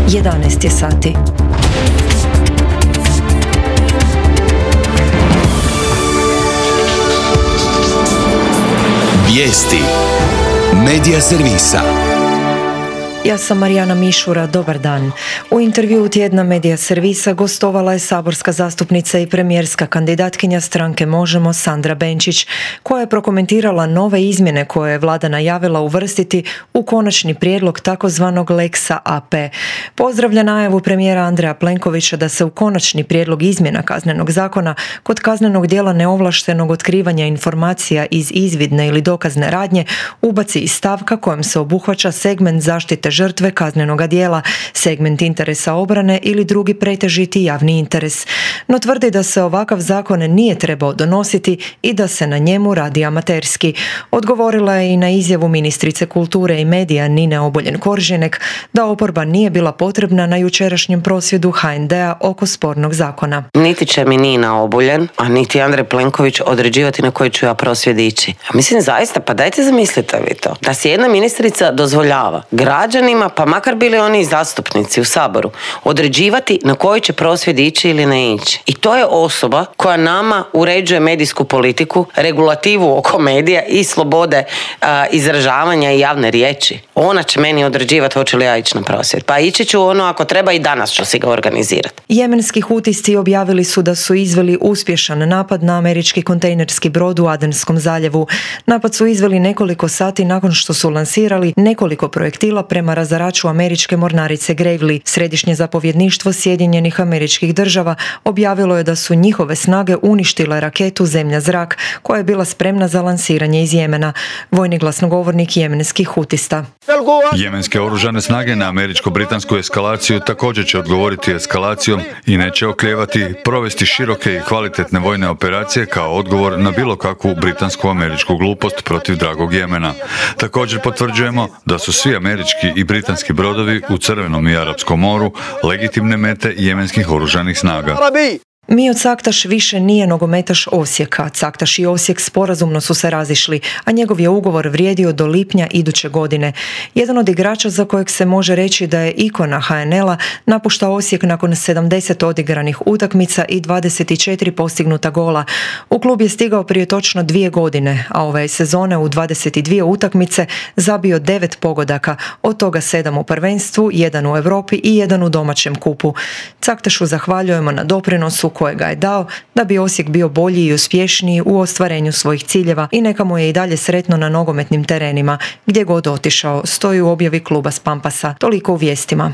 11 je sati. Vijesti Medija servisa. Ja sam Marijana Mišura, dobar dan. U intervjuu tjedna Medija servisa gostovala je saborska zastupnica i premijerska kandidatkinja stranke Možemo Sandra Benčić, koja je prokomentirala nove izmjene koje je vlada najavila uvrstiti u konačni prijedlog takozvanog Lexa AP. Pozdravlja najavu premijera Andreja Plenkovića da se u konačni prijedlog izmjena Kaznenog zakona kod kaznenog djela neovlaštenog otkrivanja informacija iz izvidne ili dokazne radnje ubaci i stavka kojom se obuhvaća segment zaštite žrtve kaznenoga djela, segment interesa obrane ili drugi pretežiti javni interes. No tvrdi da se ovakav zakon nije trebao donositi i da se na njemu radi amaterski. Odgovorila je i na izjavu ministrice kulture i medija Nine Obuljen-Koržinek da oporba nije bila potrebna na jučerašnjem prosvjedu HND-a oko spornog zakona. Niti će mi Nina Obuljen, a niti Andrej Plenković određivati na koji ću ja prosvjed ići. Mislim zaista, pa dajte zamislite vi to. Da si jedna ministrica dozvoljava građanima, pa makar bili oni i zastupnici u Saboru, određivati na koji će prosvjed ići ili ne ići. I to je osoba koja nama uređuje medijsku politiku, regulativu oko medija i slobode izražavanja i javne riječi. Ona će meni određivati hoće li ja ići na prosvjed. Pa ići ću ako treba i danas ću si ga organizirati. Jemenski hutisci objavili su da su izveli uspješan napad na američki kontejnerski brod u Adenskom zaljevu. Napad su izveli nekoliko sati nakon što su lansirali nekoliko projektila prema razaraču američke mornarice Gravely. Središnje zapovjedništvo Sjedinjenih Američkih Država objavilo je da su njihove snage uništile raketu zemlja-zrak koja je bila spremna za lansiranje iz Jemena. Vojni glasnogovornik jemenskih hutista. Jemenske oružane snage na američko-britansku eskalaciju također će odgovoriti eskalacijom i neće oklijevati provesti široke i kvalitetne vojne operacije kao odgovor na bilo kakvu britansku-američku glupost protiv dragog Jemena. Također potvrđujemo da su svi američki i britanski brodovi u Crvenom i Arapskom moru legitimne mete jemenskih oružanih snaga. Mijot Caktaš više nije nogometaš Osijeka. Caktaš i Osijek sporazumno su se razišli, a njegov je ugovor vrijedio do lipnja iduće godine. Jedan od igrača za kojeg se može reći da je ikona HNL-a napušta Osijek nakon 70 odigranih utakmica i 24 postignuta gola. U klub je stigao prije točno 2 godine, a ove sezone u 22 utakmice zabio 9 pogodaka, od toga 7 u prvenstvu, 1 u Europi i 1 u domaćem kupu. Caktašu zahvaljujemo na doprinosu kojega je dao da bi Osijek bio bolji i uspješniji u ostvarenju svojih ciljeva i neka mu je i dalje sretno na nogometnim terenima, gdje god otišao, stoji u objavi kluba s Pampasa. Toliko u vijestima.